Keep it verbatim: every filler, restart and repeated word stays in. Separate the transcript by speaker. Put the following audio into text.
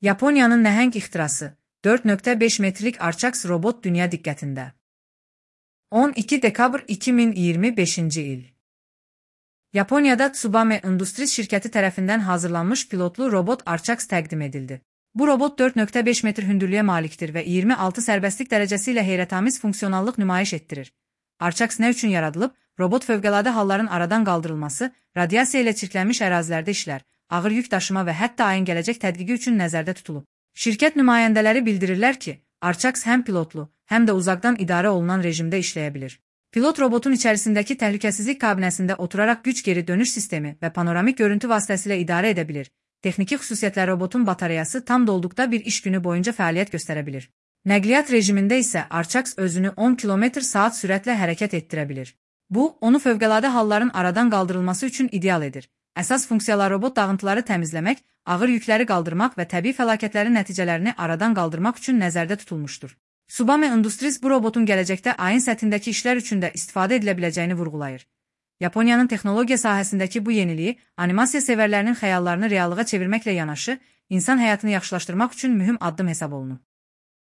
Speaker 1: Yaponiyanın nəhəng ixtirası, dörd nöqtə beş metrlik Arçaks robot dünya diqqətində. on iki dekabr iki min iyirmi beşinci il. Yaponiyada Tsubame Industries şirkəti tərəfindən hazırlanmış pilotlu robot Arçaks təqdim edildi. Bu robot dörd nöqtə beş metr hündürlüyə malikdir və iyirmi altı sərbəstlik dərəcəsi ilə heyrətamiz funksionallıq nümayiş etdirir. Arçaks nə üçün yaradılıb? Robot fövqəladə halların aradan qaldırılması, radiasiya ilə çirklənmiş ərazilərdə işlər, ağır yük daşıma və hətta ayın gələcək tədqiqi üçün nəzərdə tutulub. Şirkət nümayəndələri bildirirlər ki, Arçaks həm pilotlu, həm də uzaqdan idarə olunan rejimdə işləyə bilir. Pilot robotun içərisindəki təhlükəsizlik kabinəsində oturaraq güc geri dönüş sistemi və panoramik görüntü vasitəsilə idarə edə bilir. Texniki xüsusiyyətlər robotun batareyası tam dolduqda bir iş günü boyunca fəaliyyət göstərə bilir. Nəqliyyat rejimində isə Arçaks özünü on kilometr saat sürətlə hərəkət etdirə bilir. Bu, onu fövqəladə halların aradan qaldırılması üçün ideal edir. Əsas funksiyalar robot dağıntıları təmizləmək, ağır yükləri qaldırmaq və təbii fəlakətlərin nəticələrini aradan qaldırmaq üçün nəzərdə tutulmuşdur. Tsubame Industries bu robotun gələcəkdə ayın səthindəki işlər üçün də istifadə edilə biləcəyini vurğulayır. Yaponiyanın texnologiya sahəsindəki bu yeniliyi, animasiya sevərlərinin xəyallarını reallığa çevirməklə yanaşı, insan həyatını yaxşılaşdırmaq üçün mühüm addım hesab olunur.